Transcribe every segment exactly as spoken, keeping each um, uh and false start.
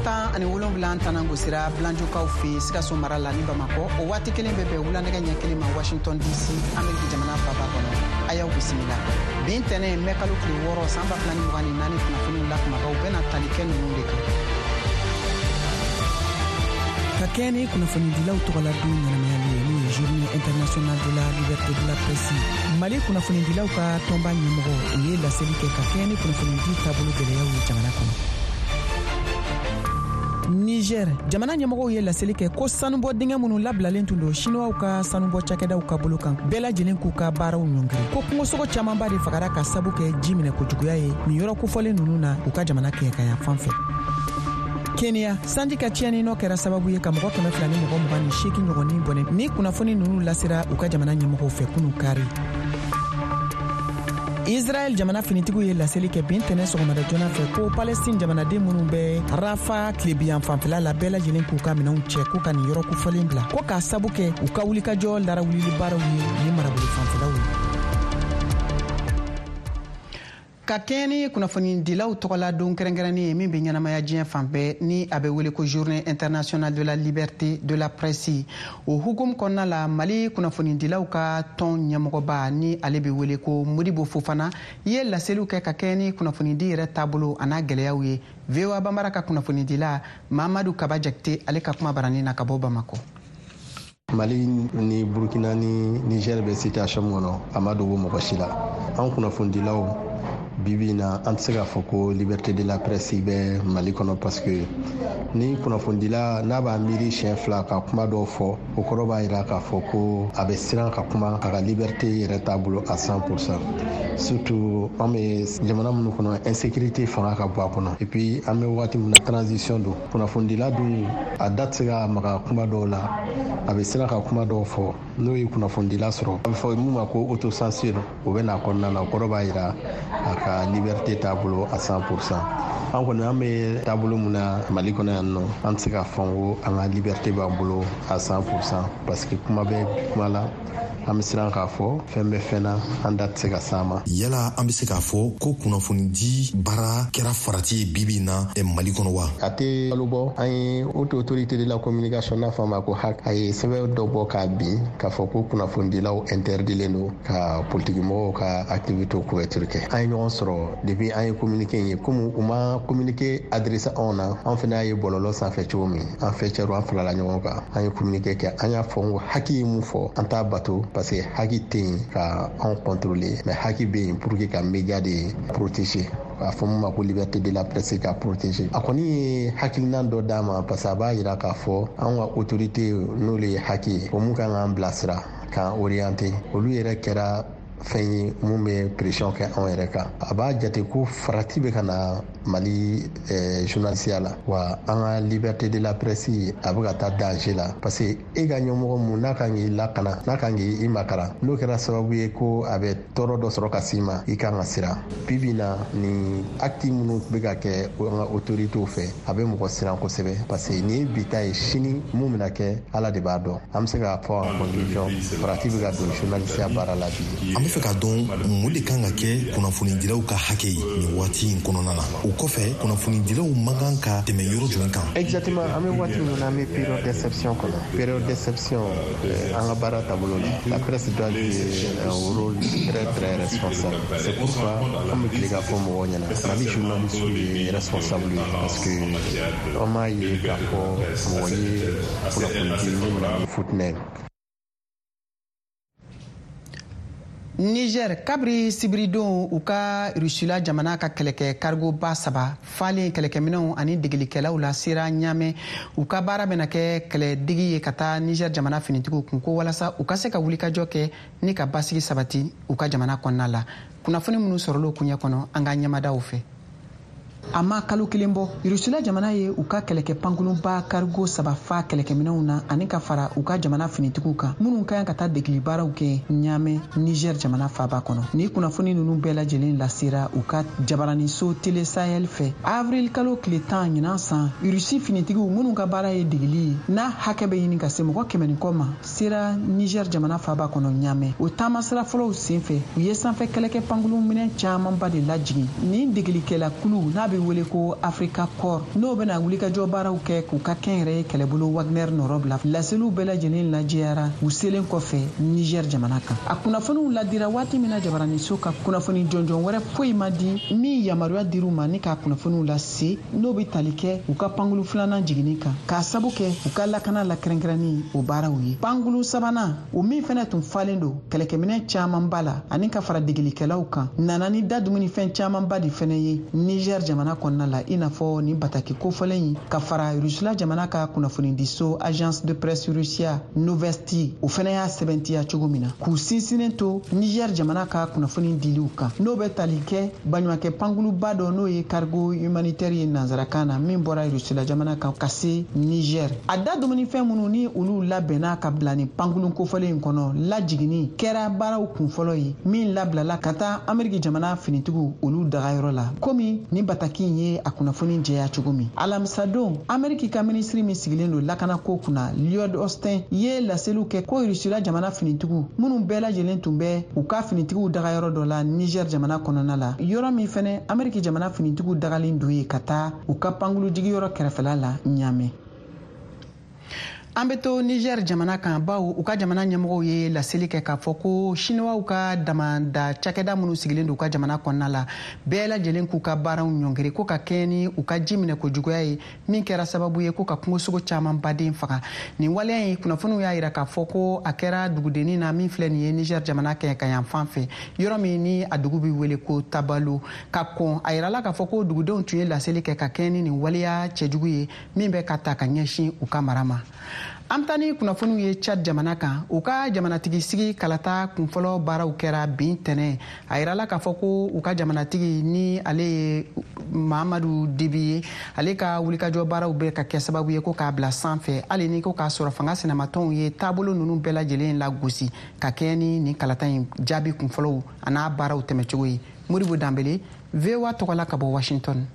Tan ani wolonwula tanan gosira Bilanjukaw fɛ Sikaso mara la ni Bamakɔ. O waati kelen bɛ bɛn wulanɛgɛ ɲɛ kelen ma Washington D C, Ameriki jamana faba kɔnɔ. A y'aw bisimila bi ntɛnɛn, mɛ kalo tile wɔɔrɔ, san ba fila ni mugan ni naani. Kunnafoniw la kumabaw bɛna tali kɛ ninnu de kan. Ka kɛɲɛ ni kunnafonidilaw tɔgɔla don ɲɛnamayali ye, n'o ye Journée internationale de la liberté de la presse, Mali kunnafonidilaw ka tɔnba ɲɛmɔgɔ, o ye laseli kɛ ka kɛɲɛ ni kunnafonidi taabolo gwɛlɛyaw ye jamana kɔnɔ. Niger jamana ɲɛmɔgɔw ye laseli kɛ ko sanubɔ dingɛ minnu labilalen tun don Siniwaw ka sanubɔ cakɛdaw ka bolo kan, bɛɛ lajɛlen k'u ka baaraw ɲɔngiri, ko kungosogo camanba de fagara ka sabu kɛ ji minɛ kojuguya ye nin yɔrɔ kofɔlen nunu na u ka jamana kɛɲɛkaya fan fɛ. Kenya, sanji ka tiɲɛni nɔ kɛra sababu ye ka mɔgɔ kɛmɛ fila ni mɔgɔ mugan ni seegin ɲɔgɔnnin bɔnɛ. Ni kunnafoni nunu lasera u ka jamana ɲɛmɔgɔw fɛ kunu kari. Israɛl jamana finitigiw ye laseli kɛ bi ntɛnɛ sɔgɔmada joona fɛ ko Palestine jamanaden minnu bɛ Rafa tilebiyan fanfɛla la, bɛɛ lajɛlen k'u ka minɛnw cɛ k'u ka nin yɔrɔ kofɔlen bila, ko k'a sabu kɛ u ka wulikajɔ larawulili baaraw ye ni marabolo fanfɛlaw ye. Ka kɛɲɛ ni kunnafonidilaw tɔgɔla don kɛrɛnkɛrɛnnen ye min bɛ ɲɛnamaya diɲɛ fan bɛɛ, ni a bɛ wele ko Journée internationale de la liberté de la presse, o hukumu kɔnɔna la, Mali kunnafonidilaw ka tɔn ɲɛmɔgɔba, ni ale bɛ wele ko Modibo Fofana, ye laseliw kɛ ka kɛɲɛ ni kunnafonidi yɛrɛ taabolo a n'a gɛlɛyaw ye. V O A Banbara ka kunnafonidila Mamadu Kaba Jakite, ale ka kuma baranin na ka bɔ Bamakɔ. Mali ni Burkina ni Niger bɛ situation min kɔnɔ, a ma dogo mɔgɔ si la. An kunnafonidilaw, bibi na, an tɛ se k'a fɔ ko liberté de la presse bɛ Mali kɔnɔ, parce que ni kunnafonidila n'a b'a miiri siɲɛ fila ka kuma dɔw fɔ, o kɔrɔ b'a jira k'a fɔ ko a bɛ siran ka kuma, a ka liberté yɛrɛ t'a bolo à cent pour cent. Surtout an bɛ jamana minnu kɔnɔ, insécurité fanga ka bon a kɔnɔ. Et puis an bɛ waati min na, transition don. Kunnafonidila dun, a da tɛ se ka maga kuma dɔw la, a bɛ siran ka kuma dɔw fɔ. N'o ye kunnafonidila sɔrɔ, a bɛ fɔ mun ma ko autocensure, o bɛ n'a kɔnɔna na. O kɔrɔ b'a jira a ka liberté t'a bolo à cent pour cent. An kɔni, an bɛ taabolo mun na Mali kɔnɔ yan nɔ, an tɛ se k'a fɔ ko an ka liberté b'an bolo à cent pour cent, parce que kuma bɛ kuma la, an bɛ siran k'a fɔ fɛn bɛ fɛn na, an da tɛ se ka s'a ma. Yala an bɛ se k'a fɔ ko kunnafonidi baara kɛra farati ye bibi in na Mali kɔnɔ wa? A tɛ kalo bɔ, an ye Haute Autorité de la communication, n'a fɔ a ma ko HAC, a ye sɛbɛn dɔ bɔ k'a bin k'a fɔ ko kunnafonidilaw interdilen don ka politikimɔgɔw ka activité couverture kɛ. An ye ɲɔgɔn sɔrɔ depuis an ye communiqué ye. Komi u ma communiqué adressé anw na, an fana y'a ye bɔlɔlɔ sanfɛ cogo min, an fɛ cɛrw, an farala ɲɔgɔn kan, an ye communiqué kɛ. An y'a fɔ ko HAC ye mun fɔ, an t'a bato, parce que HAC tɛ yen ka anw contrôler, mais HAC bɛ yen pour que ka média de protéger, a fɔ mun ma ko liberté de la presse ka protéger. A kɔni ye hakilina dɔ d'a ma, parce que a b'a yira k'a fɔ anw ka autorité, n'olu ye HAC ye, o mun kan k'an bilasira, k'an orienter, olu yɛrɛ kɛra fɛn ye mun bɛ pression kɛ anw yɛrɛ kan. A b'a jate ko farati bɛ ka na Mali eh, journalisiya la wa, an ka liberté de la presse a bɛ ka taa danger la, parce que e ka ɲɛmɔgɔ mun n'a kan k'i lakana, n'a kan k'i makara, n'o kɛra sababu ye ko a bɛ tɔɔrɔ dɔ sɔrɔ ka s'i ma, i kan ka siran. Bibi na, ni acte minnu bɛ ka kɛ an ka autorités fɛ, a bɛ mɔgɔ siran kosɛbɛ, parce que nin ye bi ta ye, sini mun bɛna kɛ, Ala de b'a dɔn. An bɛ se k'a fɔ en conclusion, farati bɛ ka don journalisiya baara la bi. An bɛ fɛ k'a dɔn mun de kan ka kɛ kunnafonidilaw ka hakɛ ye nin waati in kɔnɔna na. O kɔfɛ, kunnafonidilaw man kan ka tɛmɛ yɔrɔ jumɛn kan? Exactement, an bɛ waati min na, an bɛ période d'exception kɔnɔ. Période d'exception, an ka baara taabolo la, la presse doit jouer un rôle très très responsable. C'est pourquoi an bɛ tile k'a fɔ mɔgɔw ɲɛna, Mali journaliste ye responsable ye, parce que an m'a ye k'a fɔ mɔgɔ ye kunnafoni di mun bɛna ni futinɛ ye. Niger, kabiri sibiridon, u ka Rusila jamana ka kɛlɛkɛ karigoba saba falen kɛlɛkɛminɛw ani degelikɛlaw la sera Ɲamɛ. U ka baara bɛna kɛ kɛlɛdegi ye ka taa Niger jamana finitigiw kun, ko walasa u ka se ka wulikajɔ kɛ ni ka basigi sabati u ka jamana kɔnɔna la. Kunnafoni minnu sɔrɔla kuɲɛ kɔnɔ, an ka ɲɛmadaw fɛ, a ma kalo kelen bɔ, Rusila jamana ye u ka kɛlɛkɛ pankurunba karigo saba fa kɛlɛkɛminɛw na ani ka fara u ka jamana finitigiw kan minnu ka kan ka taa degeli baaraw kɛ Ɲamɛ, Niger jamana faba kɔnɔ. Ni kunnafoni ninnu bɛɛ lajɛlen lasera u ka jabaraniso Télé Sahel fɛ avril kalo tile tan ɲinan san. Rusi finitigiw minnu ka baara ye degeli ye, n'a hakɛ bɛ ɲini ka se mɔgɔ kɛmɛ ni kɔ ma, sera Niger jamana faba kɔnɔ Ɲamɛ. O taamasira fɔlɔw sen fɛ, u ye sanfɛ kɛlɛkɛ pankurun minɛn camanba de lajigin. Nin degelikɛla kulu n'a bɛ bɛ wele ko Africa Corps, n'o bɛna wulikajɔ baaraw kɛ k'u ka kɛnyɛrɛye kɛlɛbolo Wagner nɔrɔ bila. Laseliw bɛɛ lajɛlen lajɛyara u selen kɔfɛ Niger jamana kan. A kunnafoniw ladira waati min na jabaraniso ka kunnafoni jɔnjɔn wɛrɛ foyi ma di min yamaruya dir'u ma ni k'a kunnafoniw lase, n'o bɛ tali kɛ u ka pankulu filanan jiginni kan, k'a sabu kɛ u ka lakana la kɛrɛnkɛrɛnni o baaraw ye. Pankulu sabanan, o min fɛnɛ tun falen don kɛlɛkɛminɛn camanba la ani ka fara degelikɛlaw kan, nana ni da dumunifɛn camanba de fɛnɛ ye Niger jamana kɔnɔna la, i n'a fɔ nin bataki kofɔlen in ka fara Rusila jamana ka kunnafonidiso Agence de presse Russia Novosti, o fɛnɛ y'a sɛbɛntiya cogo min na, k'u sinsinnen to Niger jamana ka kunnafoni diliw kan, n'o bɛ tali kɛ baɲumankɛ pankuluba dɔ n'o ye cargo humanitaire ye nansarakan na, min bɔra Rusila jamana kan ka se Niger. A da dumunifɛn minnu ni olu labɛnna ka bila nin pankulu kofɔlen in kɔnɔ lajiginni kɛra baaraw kunfɔlɔ ye min labilala ka taa Ameriki jamana finitigiw olu dagayɔrɔ la, komi nin bataki in ye a kunnafoni jɛya cogo min. Alamisadon, Ameriki ka minisiri min sigilen don lakanako kunna, Lloyd Austin, ye laseliw kɛ ko Rusila jamana finitigiw minnu bɛɛ lajɛlen tun bɛ u ka finitigiw dagayɔrɔ dɔ la Niger jamana kɔnɔna la, yɔrɔ min fɛnɛ Ameriki jamana finitigiw dagalen don ye ka taa u ka pankulu jigiyɔrɔ kɛrɛfɛla la Ɲamɛ. An bɛ to Niger jamana kan, bawo u ka jamana ɲɛmɔgɔw ye laseli kɛ k'a fɔ ko Siniwaw ka damanda cakɛda minnu sigilen don u ka jamana kɔnɔna la, bɛɛ lajɛlen k'u ka baaraw ɲɔngiri ko ka kɛɲɛ ni u ka ji minɛ kojuguya ye, min kɛra sababu ye ko ka kungosogo caman baden faga. Nin waleya in kunnafoniw y'a yira k'a fɔ ko a kɛra dugudennin na min filɛ nin ye Niger jamana kɛɲɛka fan fɛ, yɔrɔ min ni a dugu bɛ wele ko Tabalo. Ka kɔn a yirala k'a fɔ ko dugudenw tun ye laseli kɛ ka kɛɲɛ ni nin waleya cɛjugu ye min bɛ ka ta ka ɲɛsin u ka mara ma. An bɛ taa ni kunnafoniw ye Tchad jamana kan. U ka jamanatigi sigi kalata kunfɔlɔ baaraw kɛra bin tɛnɛ. A yirala k'a fɔ ko u ka jamanatigi ni ale ye Mahamadu Debi ye, ale ka wulikajɔ baaraw bɛ ka kɛ sababu ye ko k'a bila sanfɛ, hali ni ko k'a sɔrɔ fanga sinamatɔnw ye taabolo ninnu bɛɛ lajɛlen lagosi ka kɛɲɛ ni nin kalata in jaabi kunfɔlɔw an'a baaraw tɛmɛcogo ye. Modibo Danbele, V O A tɔgɔ la ka bɔ Washington.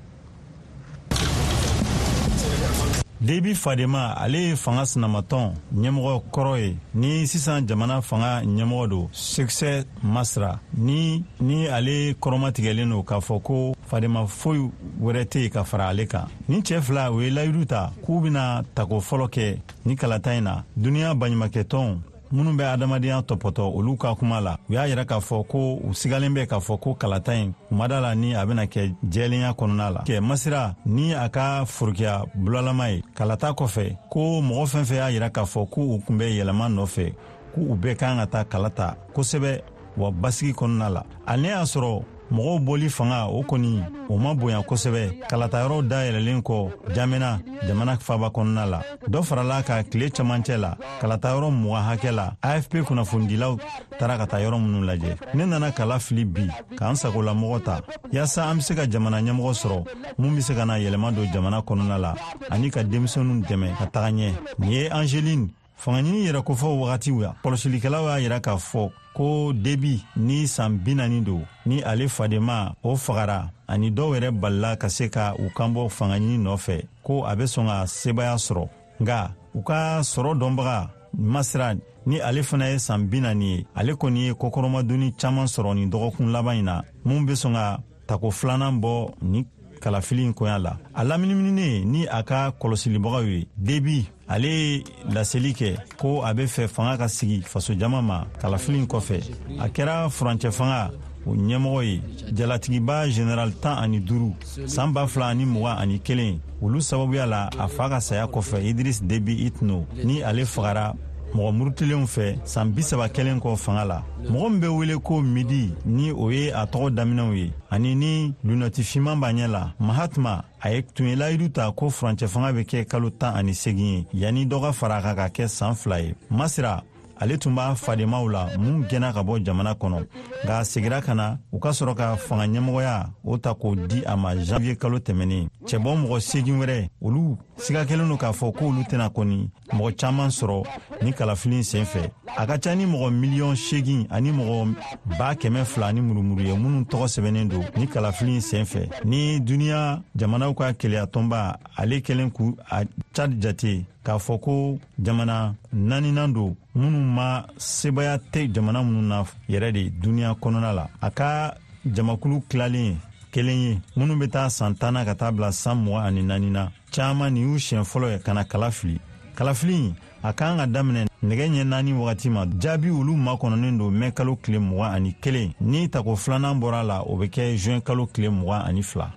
Debi Fadema, ale ye fanga sinamatɔn ɲɛmɔgɔ kɔrɔ ye ni sisan jamana fanga ɲɛmɔgɔ don Succès Masra, ni ni ale kɔrɔmatigɛlen don k'a fɔ ko Fadema foyi wɛrɛ tɛ yen ka fara ale kan. Ni cɛ fila u ye layidu ta k'u bɛna tako fɔlɔ kɛ ni kalata in na. Duniya baɲumankɛtɔnw minnu bɛ adamadenya tɔpɔtɔ olu ka kuma la, u y'a yira k'a fɔ ko u sigalen bɛ k'a fɔ ko kalata in u ma da la ni a bɛna kɛ jɛlenya kɔnɔna la. Kɛ Masira ni a ka forokiya bulalama ye kalata kɔfɛ ko mɔgɔ fɛn fɛn y'a yira k'a fɔ k'u tun bɛ yɛlɛma nɔfɛ, k'u bɛɛ kan ka taa kalata kosɛbɛ wa basigi kɔnɔna la. Ale y'a sɔrɔ mɔgɔw bɔli fanga o kɔni o ma bonya kosɛbɛ kalatayɔrɔw dayɛlɛlen kɔ Jamena jamana faba kɔnɔna la. Dɔ farala ka tile camancɛ la kalatayɔrɔ mugan hakɛ la, A F P kunnafonidilaw taara ka taa yɔrɔ minnu lajɛ. Ne nana kala fili bi k'an sagolamɔgɔ ta yaasa an be se ka jamana ɲɛmɔgɔ sɔrɔ mun be se ka na yɛlɛma don jamana kɔnɔna la ani ka denmisɛnninw dɛmɛ ka taga ɲɛ. Nin ye Angeline fangaɲini yɛrɛ kofɔ wagatiw ya. Kɔlɔsilikɛlaw y'a yira k'a fɔ ko Debi ni san bi naani don ni ale Fadema o fagara ani dɔw yɛrɛ balila ka se ka u kanbɔ fangaɲini nɔfɛ ko a bɛ sɔn ka sebaya sɔrɔ. Nka u ka sɔrɔ dɔnbaga Masira ni ale fana ye san bi naani ye, ale kɔni ye kɔkɔrɔmadonni caman sɔrɔ nin dɔgɔkun laban in na mun bɛ sɔn ka tako filanan bɔ ni kalafili in koɲa la. A laminiminen ni a ka kɔlɔsilibagaw ye, Debi ale ye laseli kɛ ko a bɛ fɛ fanga ka sigi fasojama ma kalafili in kɔfɛ. A kɛra furancɛ fanga o ɲɛmɔgɔ ye jalatigiba général tan ani duuru san ba fila ani mugan ani kelen olu sababuya la a fa ka saya kɔfɛ Idris Debi Itno ni ale fagara mɔgɔ murutilenw fɛ san bi saba kɛlen kɔ fanga la. Mɔgɔ min bɛ wele ko Midi ni o ye a tɔgɔ daminɛw ye ani ni lunɛti finman b'a ɲɛ la, Mahatma, a ye tun ye layidu ta ko furancɛ fanga bɛ kɛ kalo tan ani segin ye yanni dɔ ka fara a kan ka kɛ san fila ye. Masira ale tun b'a fademaw la mun gɛnna ka bɔ jamana kɔnɔ, nka a segira ka na u ka sɔrɔ ka fanga ɲɛmɔgɔya o ta k'o di a ma janvier kalo tɛmɛnen. Cɛbɔ mɔgɔ seegin wɛrɛ olu siga kɛlen don k'a fɔ k'olu tɛna kɔni mɔgɔ caman sɔrɔ ni kalafili sen fɛ. A ka ca ni mɔgɔ miliyɔn seegin ani mɔgɔ ba kɛmɛ fila ani murumuru ye minnu tɔgɔ sɛbɛnnen don ni kalafili sen fɛ. Ni duniya jamanaw ka keleyatɔnba ale kɛlen k'u a Tchad jate k'a fɔ ko jamana naaninan don minnu ma sebaya tɛ jamana minnu na yɛrɛ de duniya kɔnɔna la. A ka jamakulu tilalen kelen ye minnu bɛ taa san tan na ka taa bila san mugan ani naani na. Caman nin y'u siɲɛ fɔlɔ ye ka na kala fili. Kalafili a kan ka daminɛ nɛgɛ ɲɛ naani wagati ma. Jaabi olu makɔnɔnen don mɛ kalo tile mugan ani kelen. Ni tako filanan bɔra la, o bɛ kɛ juin kalo tile mugan ani fila.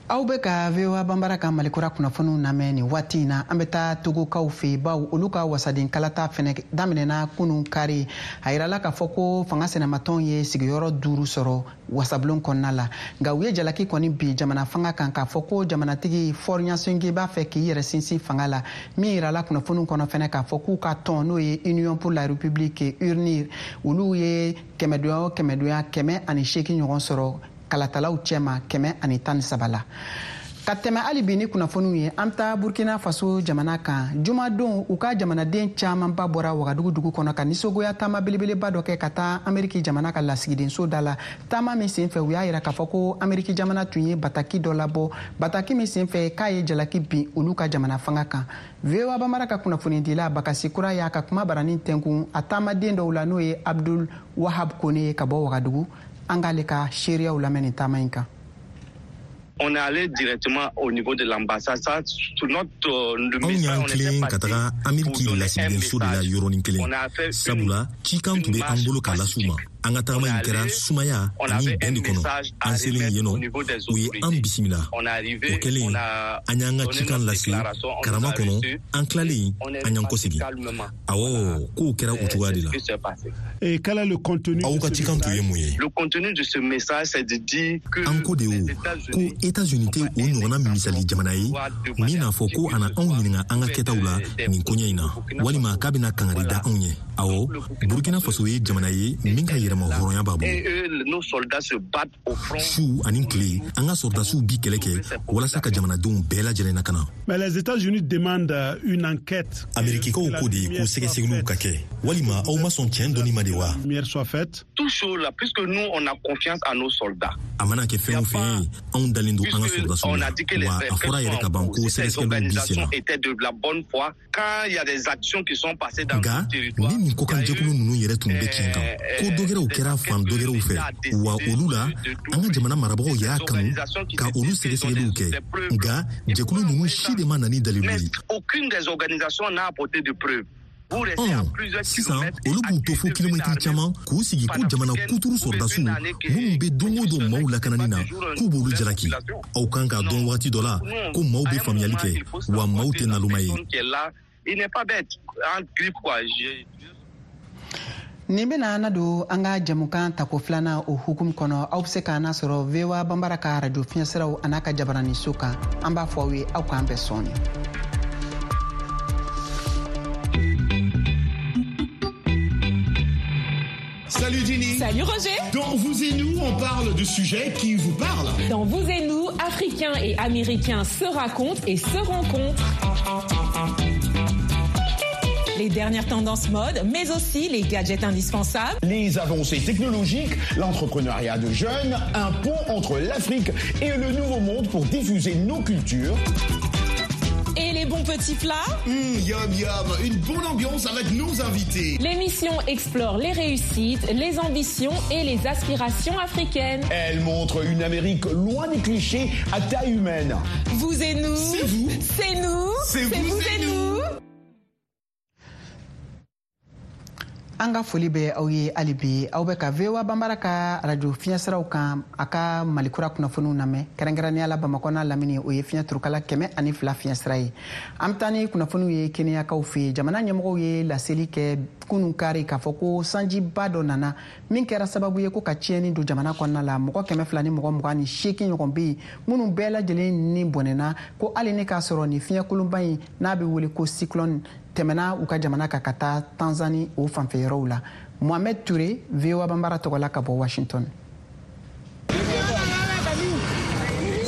Aw bɛ ka V O A Banbara ka Malikura kunnafoniw lamɛn nin waati in na. An bɛ taa Togokaw fɛ yen, bawo olu ka wasaden kalata fɛnɛ daminɛna kunun kari. A yirala k'a fɔ ko fanga sinamatɔnw ye sigiyɔrɔ duuru sɔrɔ wasabulon kɔnɔna la, nka u ye jalaki kɔni bi jamana fanga kan k'a fɔ ko jamanatigi Faure Gnassingbé b'a fɛ k'i yɛrɛ sinsin fanga la. Min yirala kunnafoniw kɔnɔ fɛnɛ k'a fɔ k'u ka tɔn, n'o ye Union pour la République URNIR, olu ye kɛmɛdonya o kɛmɛdonya kɛmɛ ani seegin ɲɔgɔn sɔrɔ kalatalaw cɛma kɛmɛ ani tan ni saba la. Ka tɛmɛ hali bi ni kunnafoniw ye, an bɛ taa Burkina Faso jamana kan. Jumadon, u ka jamanaden camanba bɔra Wagadugu dugu kɔnɔ ka nisɔngoya taama belebeleba dɔ kɛ ka taa Ameriki jamana ka lasigidenso da la. Taama min senfɛ, u y'a yira k'a fɔ ko Ameriki jamana tun ye bataki dɔ labɔ, bataki min senfɛ k'a ye jalaki bin olu ka jamana fanga kan. V O A Bamara ka kunnafonidila Bakasi Kura y'a ka kuma baranin tɛnkun a taamaden dɔw la, n'o ye Abdul Wahab Kone ye ka bɔ Wagadugu. An k'ale ka seereyaw lamɛn nin taama in kan. On est allé directement au niveau de l'ambassade. Ça, tout notre Anw y'an tilen ka taga Ameriki lasigidenso de la yɔrɔnin kelen, sabula cikan tun bɛ an bolo k'a las'u ma. An ka tagama in kɛra sumaya ani bɛn de kɔnɔ. An selen yen nɔ, u ye an bisimila. O kɛlen, an y'an ka cikan lase karama kɔnɔ. An tilalen, an y'an kɔsegin. Awɔ, kow kɛra o cogoya de la. Aw ka cikan tun ye mun ye? An ko de o ko États-Unis tɛ o ɲɔgɔnna misali jamana ye min n'a fɔ ko a na anw ɲininka an ka kɛtaw la nin koɲɛ in na, walima k'a bɛna kangari da anw ye. Awɔ, Burkina Faso ye jamana ye min ka yɛrɛma hɔrɔnya b'a bolo. Su ani tile, an ka sɔrɔdasiw bi kɛlɛ kɛ walasa ka jamanadenw bɛɛ lajɛlen lakana. Amerikikaw ko de ko sɛgɛsɛgɛliw ka kɛ, walima aw ma sɔn tiɲɛ dɔnni ma de wa? A mana kɛ fɛn o fɛn ye, anw dalen don an ka sɔrɔdasiw la, wa a fɔra yɛrɛ ka ban ko sɛgɛsɛgɛliw bi sen na. Nka ni nin kɔkanjɛkulu ninnu yɛrɛ tun bɛ tiɲɛ kan, ko dɔgɛrɛw kɛra fan dɔgɛrɛw fɛ, wa olu la an ka jamana marabagaw y'a kanu ka olu sɛgɛsɛgɛliw kɛ. Nka jɛkulu ninnu si de ma na ni dalilu ye. Sisan olu b'u to fo kilomɛtiri caman k'u sigi ko jamana kuturu sɔrɔdasiw minnu bɛ don o don maaw lakanani na, k'u b'olu jalaki. Aw kan k'a dɔn wagati dɔ la ko maaw bɛ faamuyali kɛ, wa maaw tɛ naloma ye. Nin bɛna na don an ka jamukan tako filanan o hukumu kɔnɔ. Aw bɛ se k'an sɔrɔ V O A Banbara ka arajo fiɲɛsiraw an'a ka jabaraniso kan. An b'a fɔ aw ye aw k'an bɛn sɔɔni. Salut Ginny. Salut Roger. Dans Vous et nous, on parle de sujets qui vous parlent. Dans Vous et nous, Africains et Américains se racontent et se rencontrent. Les dernières tendances mode, mais aussi les gadgets indispensables. Les avancées technologiques, l'entrepreneuriat de jeunes, un pont entre l'Afrique et le Nouveau Monde pour diffuser nos cultures. Et les bons petits plats. Mmh, yum yum, une bonne ambiance avec nos invités. L'émission explore les réussites, les ambitions et les aspirations africaines. Elle montre une Amérique loin des clichés à taille humaine. Vous et nous. C'est vous. C'est nous. C'est vous, vous et et nous. nous. An ka foli bɛ aw ye hali bi. Aw bɛ ka V O A Banbara ka arajo fiɲɛsiraw kan a ka Malikura kunnafoniw lamɛn, kɛrɛnkɛrɛnnenya la Bamakɔ n'a lamini, o ye fiɲɛ turukala kɛmɛ ani fila fiɲɛsira ye. An bɛ taa ni kunnafoniw ye Keniyakaw fɛ yen. Jamana ɲɛmɔgɔw ye laseli kɛ kunun kari k'a fɔ ko sanjiba dɔ nana min kɛra sababu ye ko ka tiɲɛni don jamana kɔnɔna la. Mɔgɔ kɛmɛ fila ni mɔgɔ mugan ni seegin ɲɔgɔn bɛ yen minnu bɛɛ lajɛlen ni bɔnɛna, ko hali ni k'a sɔrɔ nin fiɲɛkolonba in n'a bɛ wele ko cyclone tɛmɛna u ka jamana kan ka taa Tanzanie o fanfɛ yɔrɔw la. Mohamed Touré, V O A Banbara tɔgɔ la ka bɔ Washington.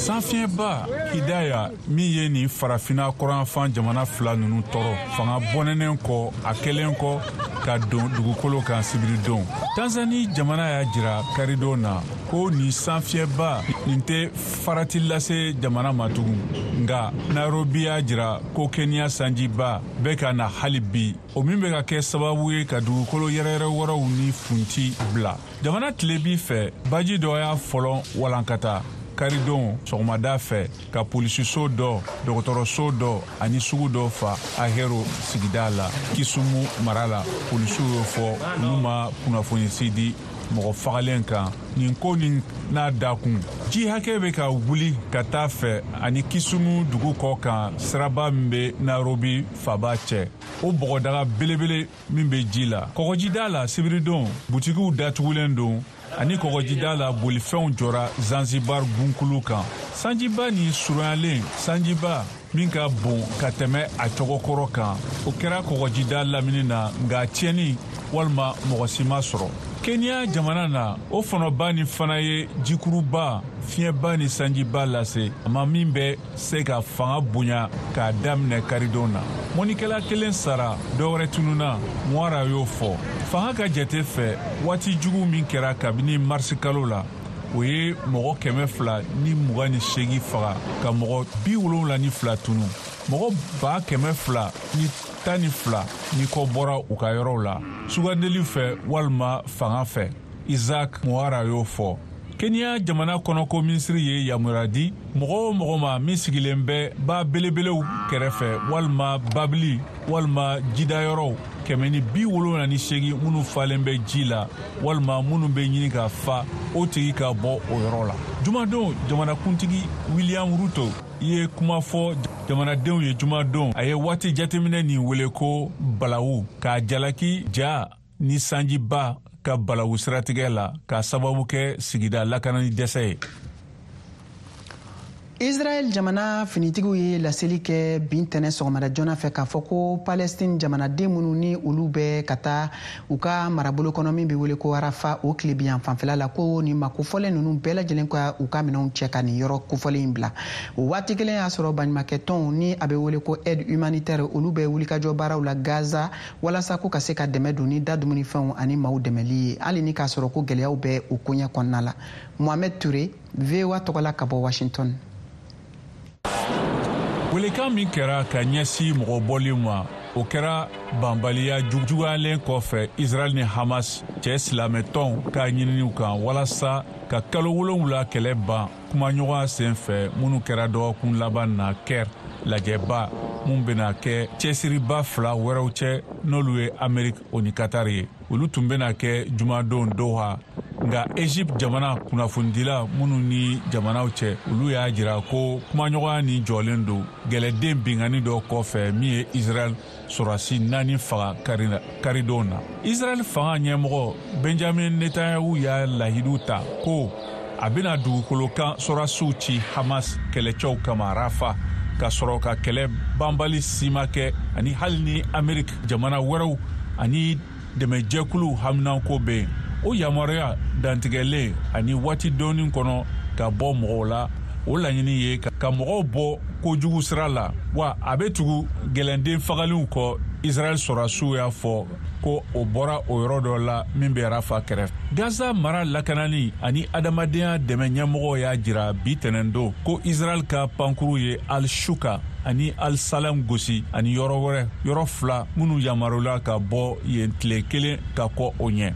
Sanfiɲɛba Hidaya min ye nin farafinna kɔrɔnyanfan jamana fila ninnu tɔɔrɔ fanga bɔnɛnen kɔ a kɛlen kɔ ka don dugukolo kan sibiridon. Tanzani jamana y'a jira karidon na ko nin sanfiɲɛba nin tɛ farati lase jamana ma tugun, nka Nairobi y'a jira ko Kenya sanjiba bɛ ka na hali bi, o min bɛ ka kɛ sababu ye ka dugukolo yɛrɛyɛrɛ wɛrɛw ni funti bila. Jamana tilebi fɛ, baji dɔ y'a fɔlɔ walankata karidon sɔgɔmada fɛ ka polisiso dɔ, dɔgɔtɔrɔso dɔ ani sugu dɔ fa Ahero sigida la Kisumu mara la. Polisiw y'o fɔ, olu ma kunnafoni si di mɔgɔ fagalen kan nin ko nin n'a dakun. Ji hakɛ bɛ ka wuli ka taa fɛ ani Kisumu dugu kɔ kan siraba min bɛ Nairobi faba cɛ, o bɔgɔdaga belebele min bɛ ji la. Kɔgɔjida la sibiridon, butigiw datugulen don ani kɔgɔjida la bolifɛnw jɔra Zanzibar gunkulu kan. Sanjiba ni surunyalen sanjiba min ka bon ka tɛmɛ a cɔgɔkɔrɔ kan, o kɛra kɔgɔjida lamini na, nka tiɲɛni walima mɔgɔ si ma sɔrɔ. Kenya jamana na, o fɔnɔba ni fana ye jikuruba, fiɲɛba ni sanjiba lase a ma min bɛ se ka fanga bonya k'a daminɛ karidon na. Mɔnikɛla kelen sara, dɔwɛrɛ tununna, Mwara y'o fɔ. Fanga ka jate fɛ, waati jugu min kɛra kabini marisikalo la, o ye mɔgɔ kɛmɛ fila ni mugan ni seegin faga ka mɔgɔ bi wolonwula ni fila tunu. Mɔgɔ ba kɛmɛ fila ni tan ni fila ni kɔ bɔra u ka yɔrɔw la sugandeli fɛ walima fanga fɛ, Isaac Mwara y'o fɔ. Kenya jamana kɔnɔko minisiri ye yamaruya di mɔgɔ o mɔgɔ ma min sigilen bɛ ba belebelew kɛrɛfɛ walima babili walima jidayɔrɔw kɛmɛ ni bi wolonwula ni seegin minnu falen bɛ ji la walima minnu bɛ ɲini ka fa, o tigi ka bɔ o yɔrɔ la. Jumadon, jamanakuntigi William Ruto ye kuma fɔ jamanadenw ye jumadon. A ye waati jateminɛ nin wele ko balawu, k'a jalaki ja ni sanjiba ka balawu siratigɛ la k'a sababu kɛ sigida lakanani dɛsɛ ye. Israel jamana finitigiw ye laseli kɛ bin tɛnɛ sɔgɔmada joona fɛ k'a fɔ ko Palestine jamanaden minnu ni olu bɛ ka taa u ka marabolo kɔnɔ min bɛ wele ko Arafa o tilebiyan fanfɛla la, ko nin ma kofɔlen ninnu bɛɛ lajɛlen ka u ka minɛnw cɛ ka nin yɔrɔ kofɔlen in bila. O waati kelen y'a sɔrɔ baɲumankɛtɔnw ni a bɛ wele ko aide humanitaire, olu bɛ wulikajɔ baaraw la Gaza walasa ko ka se ka dɛmɛ don ni da dumunifɛnw ani maaw dɛmɛli ye, hali ni k'a sɔrɔ ko gɛlɛyaw bɛ o koɲɛ kɔnɔna la. Mohamed Touré, V O A tɔgɔ la ka bɔ Washington. Welekan min kɛra ka ɲɛsin mɔgɔ bɔli ma, o kɛra banbaliya juguyalen kɔfɛ Israel ni Hamas cɛ silamɛtɔnw ka ɲininiw kan walasa ka kalo wolonwula kɛlɛ ban kumaɲɔgɔnya sen fɛ minnu kɛra dɔgɔkun laban na Caire lajɛba mun bɛna kɛ cɛsiriba fila wɛrɛw cɛ n'olu ye Amerique o ni Qatar ye. Olu tun bɛna kɛ jumadon Doha, nka Egypte jamana kunnafonidila minnu ni jamanaw cɛ, olu y'a jira ko kumaɲɔgɔnya nin jɔlen don gɛlɛden binkanni dɔ kɔfɛ min ye Israel sɔrɔdasi naani faga karidon na. Israel fanga ɲɛmɔgɔ Benjamin Netanyahu y'a lahidu ta ko a bɛna dugukolo kan sɔrɔdasiw ci Hamas kɛlɛcɛw kama Rafa, ka sɔrɔ ka kɛlɛ banbali si ma kɛ, ani hali ni Amerique jamana wɛrɛw ani dɛmɛjɛkuluw haminanko bɛ yen. O yamaruya dantigɛlen ani waati dɔɔni kɔnɔ ka bɔ mɔgɔw la, o laɲini ye ka mɔgɔw bɔ kojugu sira la, wa a bɛ tugu gɛlɛnden fagalenw kɔ. Israel sɔrɔdasiw y'a fɔ ko o bɔra o yɔrɔ dɔ la min bɛ Rafa kɛrɛfɛ. Gaza mara lakanani ani adamadenya dɛmɛ ɲɛmɔgɔw y'a jira bi tɛnɛndon ko Israel ka pankuru ye Al-Shuka ani Al-Salam gosi ani yɔrɔ wɛrɛ, yɔrɔ fila minnu yamarula ka bɔ yen tile kelen ka kɔ o ɲɛ.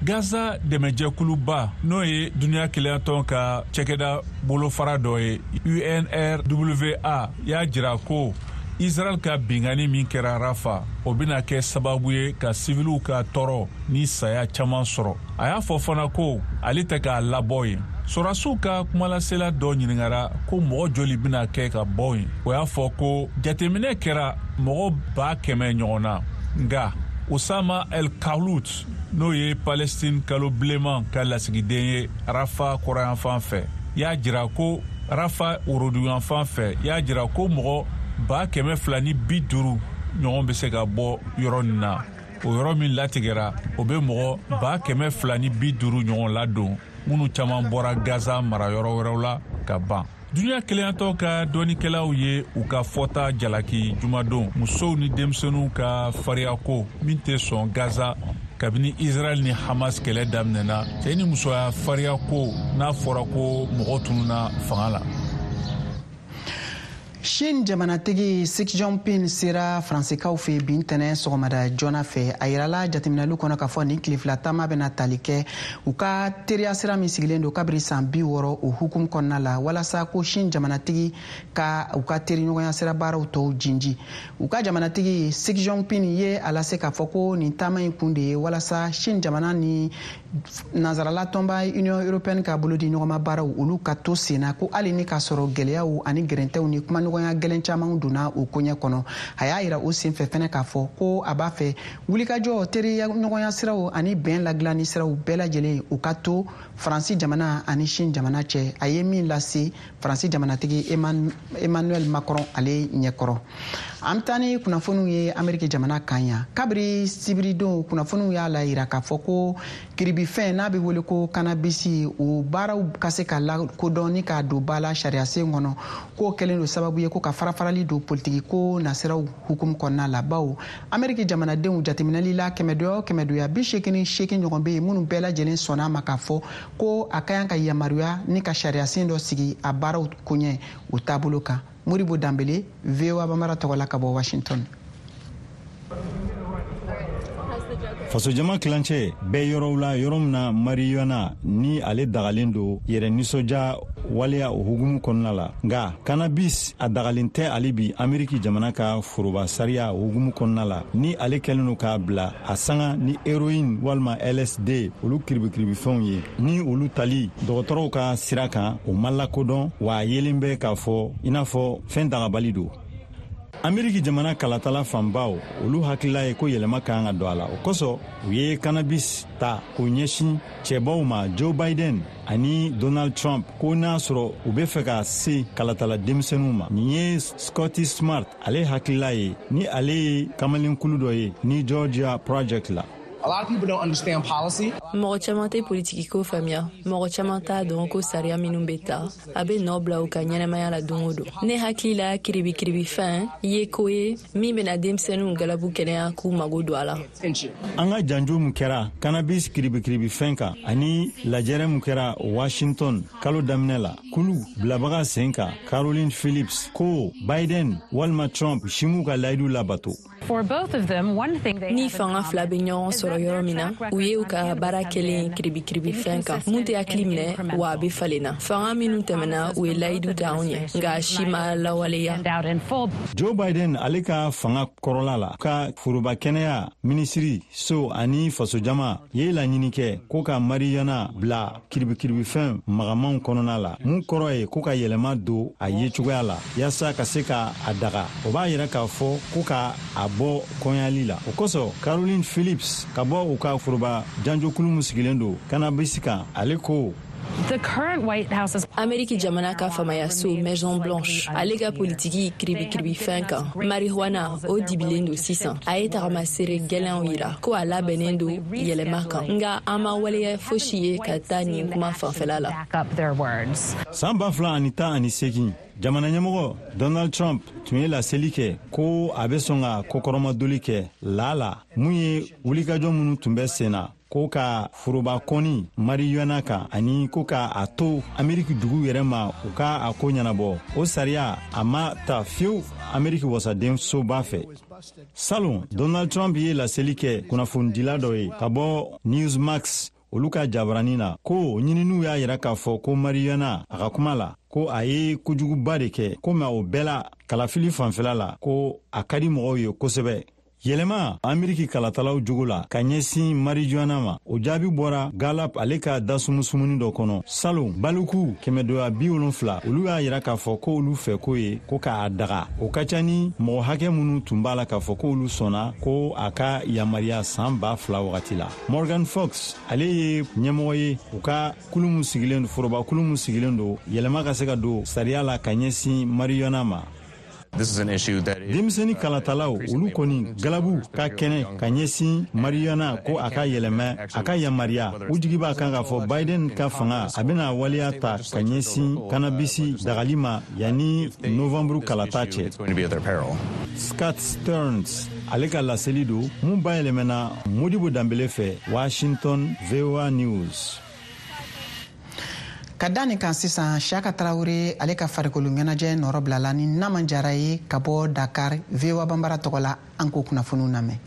Gaza dɛmɛjɛkuluba n'o ye duniya kelenyatɔn ka cɛkɛda bolofara dɔ ye U N R W A y'a jira ko Israel ka binkanni min kɛra Rafa, o bɛna kɛ sababu ye ka siviliw ka tɔɔrɔ ni saya caman sɔrɔ. A y'a fɔ fana ko ale tɛ k'a labɔ yen. Sɔrɔdasiw ka kumalasela dɔ ɲininkara ko mɔgɔ joli bɛna kɛ ka bɔ yen. O y'a fɔ ko jateminɛ kɛra mɔgɔ ba kɛmɛ ɲɔgɔn na, nka Osama El Khalout n'o ye Palestine kalo bilenman ka lasigiden ye Rafa kɔrɔyanfan fɛ, y'a jira ko Rafa woroduguyanfan fɛ y'a jira ko mɔgɔ ba kɛmɛ fila ni bi duuru ɲɔgɔn bɛ se ka bɔ yɔrɔ nin na. O yɔrɔ min latigɛra, o bɛ mɔgɔ ba kɛmɛ fila ni bi duuru ɲɔgɔn ladon, minnu caman bɔra Gaza mara yɔrɔ wɛrɛw la ka ban. Duniya kelenyatɔ ka dɔnnikɛlaw ye u ka fɔta jalaki jumadon musow ni denmisɛnninw ka fariyako min tɛ sɔn Gaza kabini Israɛl ni Hamas kɛlɛ daminɛna, cɛ ni musoya fariyako n'a fɔra ko mɔgɔ tununna fanga la. Chine jamanatigi Xi Jinping sera Faransikaw fɛ bi ntɛnɛn sɔgɔmada joona fɛ. A yirala jateminɛliw kɔnɔ k'a fɔ nin tile fila taama bɛna tali kɛ u ka teriya sira min sigilen don kabiri san bi wɔɔrɔ o hukumu kɔnɔna la, walasa ko Chine jamanatigi ka u ka teriɲɔgɔnya sira baaraw tɔw jinji. U ka jamanatigi Xi Jinping ye a lase k'a fɔ ko nin taama in kun de ye walasa Chine jamana ni nansarala tɔnba Union européenne ka bolodi ɲɔgɔnma baaraw olu ka to sen na, ko hali ni k'a sɔrɔ gɛlɛyaw ani gɛrɛntɛw ni kumaɲɔgɔnya gɛlɛn caman donna o koɲɛ kɔnɔ. A y'a yira o senfɛ fɛnɛ k'a fɔ ko a b'a fɛ wulikajɔ, teriɲɔgɔnya siraw ani bɛn ladilanni siraw bɛɛ lajɛlen u ka to Faransi jamana ani Chine jamana cɛ. A ye min lase Faransi jamanatigi Emmanuel Macron ale ɲɛkɔrɔ. An bɛ taa ni kunnafoniw ye Ameriki jamana kan yan. Kabiri sibiridon, kunnafoniw y'a la yira k'a fɔ ko kiribifɛn n'a bɛ wele ko cannabis, o baaraw ka se ka lakodɔn ni k'a don ba la sariyasen kɔnɔ, k'o kɛlen don sababu ye ko ka farafarali don politiki ko nasiraw hukumu kɔnɔna la, bawo Ameriki jamanadenw jateminɛli la, kɛmɛdoya o kɛmɛdoya, bi seegin ni seegin ɲɔgɔn bɛ yen minnu bɛɛ lajɛlen sɔnna a ma k'a fɔ ko a ka kan ka yamaruya ni ka sariyasen dɔ sigi a baaraw koɲɛ o taabolo kan. Modibo Danbele, V O A Bambara tɔgɔ la ka bɔ Washington. Fasojama kilancɛ bɛɛ yɔrɔw la, yɔrɔ min na marijuana ni ale dagalen don yɛrɛ nisɔndiya waleya o hukumu kɔnɔna la, nga cannabis a dagalen tɛ ale bi Ameriki jamana ka foroba sariya o hukumu kɔnɔna la, ni ale kɛlen don k'a bila a sanga ni héroïne walima L S D, olu kiribikiribifɛnw ye, ni olu tali dɔgɔtɔrɔw ka sira kan o ma lakodɔn, wa a yelen bɛ k'a fɔ i n'a fɔ fɛn dagabali don. Ameriki jamana kalatala fanbaw, olu hakilila ye ko yɛlɛma ka kan ka don a la. O kosɔn u ye cannabis ta k'o ɲɛsin cɛbaw ma, Joe Biden ani Donald Trump, ko n'a sɔrɔ u be fɛ ka se kalatala denmisɛnninw ma. Nin ye Scotty Smart ale hakilila ye, ni ale ye kamalenkulu dɔ ye ni Georgia Project la. Mɔgɔ caman tɛ politikiko faamuya. Mɔgɔ caman t'a dɔn ko sariya minnu bɛ ta, a bɛ nɔ bila u ka ɲɛnamaya la don o don. Ne hakili la, kiribikiribifɛn ye ko ye min bɛna denmisɛnninw galabu kɛnɛya k'u mago don a la. An ka janjo min kɛra cannabis kiribikiribifɛn kan ani lajɛrɛ min kɛra Washington kalo daminɛ la, kulu bilabaga sen kan Caroline Phillips ko Biden walima Trump si m'u ka layidu labato. Ni fanga fila bɛ ɲɔgɔn sɔrɔ yɔrɔ min na, u ye u ka baara kɛlen kiribikiribifɛn kan mun tɛ hakili minɛ, wa a bɛ falen na. Fanga minnu tɛmɛna, u ye layidu ta anw ye, nka si ma lawaleya. Joe Biden ale ka fanga kɔrɔla la, ka foroba kɛnɛya minisiri so ani fasojama ye laɲini kɛ ko ka marijuana bila kiribikiribifɛn magamanw kɔnɔna la, mun kɔrɔ ye ko ka yɛlɛma don a ye cogoya la yaasa ka se ka a daga. O b'a yira k'a fɔ ko ka a bɔ kɔɲali la. O kosɔn Caroline Phillips ka bɔ u ka foroba janjokulu min sigilen don cannabis kan, ale ko: Ameriki jamana ka faamayaso Maison Blanche ale ka politiki kiribikiribifɛn kan marijuana, o dibilen don sisan. A ye tagamasere gɛlɛnw yira ko a labɛnnen don yɛlɛma kan, nga an ma waleya fosi ye ka taa nin kuma fanfɛla la. San ba fila ani tan ani segin, jamana ɲɛmɔgɔ Donald Trump tun ye laseli kɛ ko a bɛ sɔn ka kɔkɔrɔmadoli kɛ laala mun ye wulikajɔ minnu tun bɛ sen na ko ka foroba kɔni marijuana kan ani ko ka a to Ameriki dugu yɛrɛ ma u ka a ko ɲɛnabɔ. O sariya a ma ta fiyewu Ameriki wasaden soba fɛ. Salon, Donald Trump ye laseli kɛ kunnafonidila dɔ ye ka bɔ Newsmax olu ka jabarani na ko ɲininiw y'a yira k'a fɔ ko marijuana, a ka kuma la, ko a ye kojuguba de kɛ, ko mɛ o bɛɛ la kalafili fanfɛla la ko a ka di mɔgɔw ye kosɛbɛ. Yɛlɛma Ameriki kalatalaw jogo la ka ɲɛsin marijuana ma, o jaabi bɔra Gallup ale ka dasumusumuni dɔ kɔnɔ salon. Baliku kɛmɛdoya bi wolonfila, olu y'a yira k'a fɔ ko olu fɛ ko ye ko k'a daga. O ka ca ni mɔgɔ hakɛ minnu tun b'a la k'a fɔ ko olu sɔnna ko a ka yamariya saan ba fila wagati la. Morgan Fox ale ye ɲɛmɔgɔ ye u ka kulu min sigilen don, foroba kulu min sigilen don yɛlɛma ka se ka don sariya la ka ɲɛsin marijuana ma. Denmisɛnnin kalatalaw, olu kɔni galabu ka kɛnɛ ka ɲɛsin marijuana ko a ka yɛlɛmɛ, a ka yamaruya. U jigi b'a kan k'a fɔ Biden ka fanga, a bɛna waleya ta ka ɲɛsin kanabisi dagali ma yanni novanburu kalata cɛ. Scott Stearns ale ka laseli don mun bayɛlɛmɛna Modibo Danbele fɛ, Washington, V O A News. Ka da nin kan sisan, Siaka Tarawele ale ka farikolo ɲɛnajɛ nɔrɔ bilala ni Naman Jara ye ka bɔ Dakar, V O A Banbara tɔgɔ la. An k'o kunnafoniw lamɛn.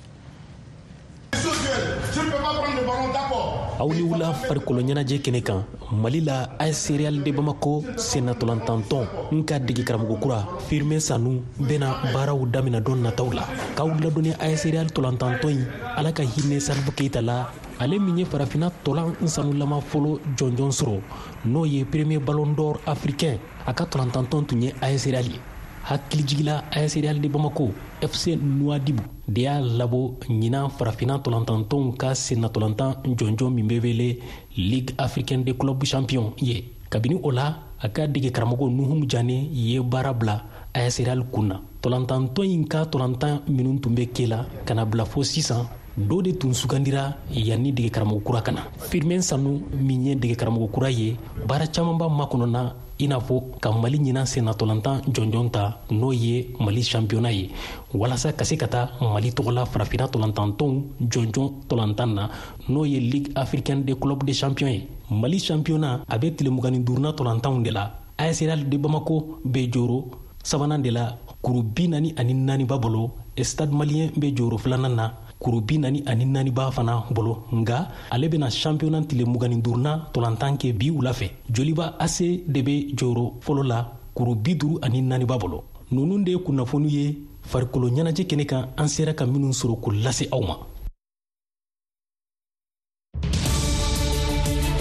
Aw ni wula. Farikolo ɲɛnajɛ kɛnɛ kan, Mali la, A S Real de Bamako sennatolantantɔn n ka dege karamɔgɔ kura Firmin Sanu bena baaraw damina don nataw la. K'aw ladɔnni, A S Real tolantantɔn in, Ala ka hinɛ Salifu Keyita la, ale min ye Farafina tolan sanulama fɔlɔ jɔnjɔn sɔrɔ, n'o ye premier Ballon d'Or africain, a ka tolantantɔn tun ye A S Real ye. Hakilijigila, A S Real de Bamako, F C Nouadhibou de y'a labɔ ɲinan Farafina tolantantɔnw ka sennatolantan jɔnjɔn min bɛ wele Ligue africaine de club champion ye. Kabini o la, a ka dege karamɔgɔ Nuhum Jane ye baara bila A S Real kun na. Tolantantɔn in ka tolantan minnu tun bɛ ke la ka na bila fo sisan, dɔ de tun sugandira yanni dege karamɔgɔ kura ka na. Firmin Sanu min ye dege karamɔgɔ kura ye, baara camanba makɔnɔna, i n'a fɔ ka Mali ɲinan sennatolantan jɔnjɔn ta, n'o ye Mali championnat ye, walasa ka se ka taa Mali tɔgɔla Farafina tolantantɔnw jɔnjɔn tolantan na, n'o ye Ligue africaine des clubs de champion ye. Mali championnat, a bɛ tile mugan ni duuruna tolantanw de la. A S Real de Bamako bɛ jɔyɔrɔ sabanan de la, kuru bi naani ani naani b'a bolo. Stade Malien bɛ jɔyɔrɔ filanan na, kuru bi naani ani naani b'a fana bolo, nga ale bɛna championnat tile mugan ni duurunan tolantan kɛ bi wula fɛ. Joliba A C de bɛ jɔyɔrɔ fɔlɔ la, kuru bi duuru ani naani b'a bolo. Ninnu de ye kunnafoniw ye farikolo ɲɛnajɛ kɛnɛ kan, an sera ka minnu sɔrɔ k'o lase aw ma.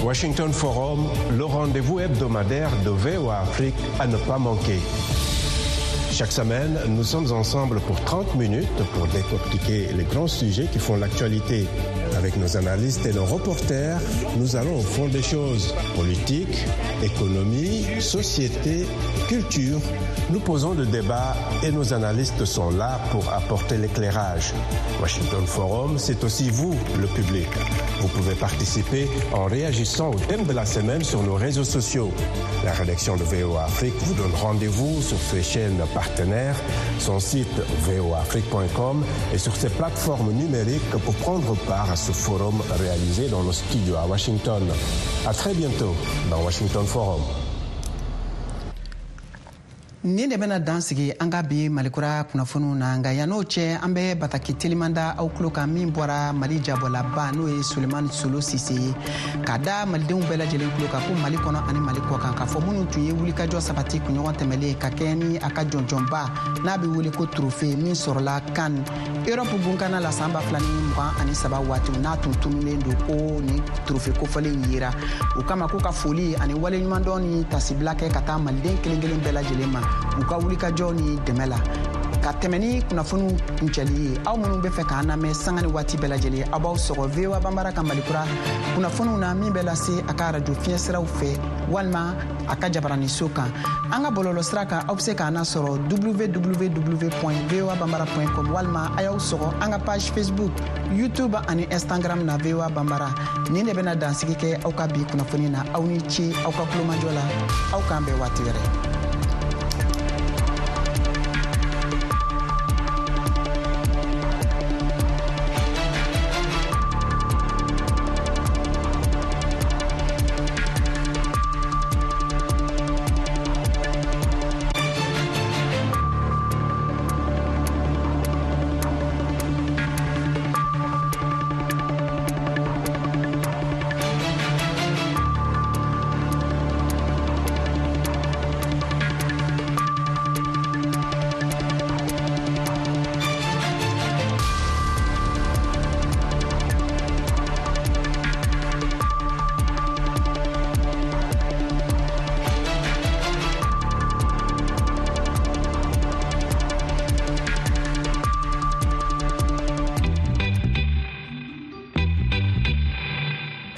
Washington Forum, le rendez-vous hebdomadaire de V O A Afrique à ne pas manquer. Chaque semaine, nous sommes ensemble pour trente minutes pour décortiquer les grands sujets qui font l'actualité. Avec nos analystes et nos reporters, nous allons au fond des choses. Politique, économie, société, culture. Nous posons le débat et nos analystes sont là pour apporter l'éclairage. Washington Forum, c'est aussi vous, le public. Vous pouvez participer en réagissant au thème de la semaine sur nos réseaux sociaux. La rédaction de V O A Afrique vous donne rendez-vous sur ses chaînes partenaires, son site voaafrique point com et sur ses plateformes numériques pour prendre part à ce forum réalisé dans nos studios à Washington. À très bientôt dans Washington Forum. Nin de bɛna dan sigi an ka bi Malikura kunnafoniw na. Nka yann'o cɛ, an bɛ bataki teliman da aw tulo kan min bɔra Mali jabɔlaba, n'o ye Sulemani Solo Sise ye, ka da malidenw bɛɛ lajɛlen tulo kan ko Mali kɔnɔ ani Mali kɔ kan, k'a fɔ minnu tun ye wulikajɔ sabati kunɲɔgɔn tɛmɛlen ka kɛɲɛ ni a ka jɔnjɔnba n'a bɛ wele ko trophée min sɔrɔla CAN Europe gunkana la san ba fila ni mugan ani saba waatiw, n'a tun tununnen don, ko ni trophée kofɔlen yera o kama, ko ka foli ani waleɲumandɔn ni tasibila kɛ ka taa maliden kelen kelen bɛɛ lajɛlen ma u ka wulikajɔ ni dɛmɛ la. Ka tɛmɛ ni kunnafoniw kuncɛli ye, aw minnu bɛ fɛ k'an lamɛn sanga ni waati bɛɛ lajɛlen, aw b'aw sɔgɔ V O A Banbara ka Malikura kunnafoniw na min bɛ lase a ka arajo fiɲɛ siraw fɛ walima a ka jabaraniso kan. An ka bɔlɔlɔ sira kan, aw bɛ se k'an lasɔrɔ W W W voa bambara com walima a y'aw sɔgɔ an ka page Facebook, YouTube ani Instagram na V O A Banbara. Nin de bɛna dansigi kɛ aw ka bi kunnafoni na. Aw ni ce aw ka kulomajɔ la. Aw k'an bɛn waati wɛrɛ.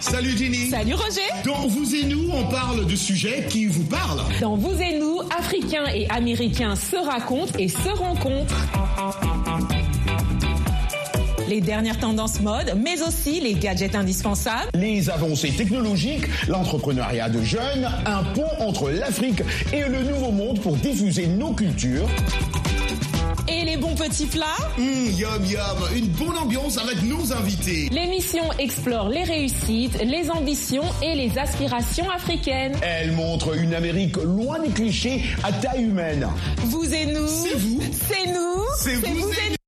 Salut Ginny. Salut Roger. Dans Vous et nous, on parle de sujets qui vous parlent. Dans Vous et nous, Africains et Américains se racontent et se rencontrent. Les dernières tendances mode, mais aussi les gadgets indispensables. Les avancées technologiques, l'entrepreneuriat de jeunes, un pont entre l'Afrique et le Nouveau Monde pour diffuser nos cultures. Et les bons petits plats. Mmh, yum yum, une bonne ambiance avec nos invités. L'émission explore les réussites, les ambitions et les aspirations africaines. Elle montre une Amérique loin des clichés à taille humaine. Vous et nous. C'est vous. C'est nous. C'est vous, vous et nous.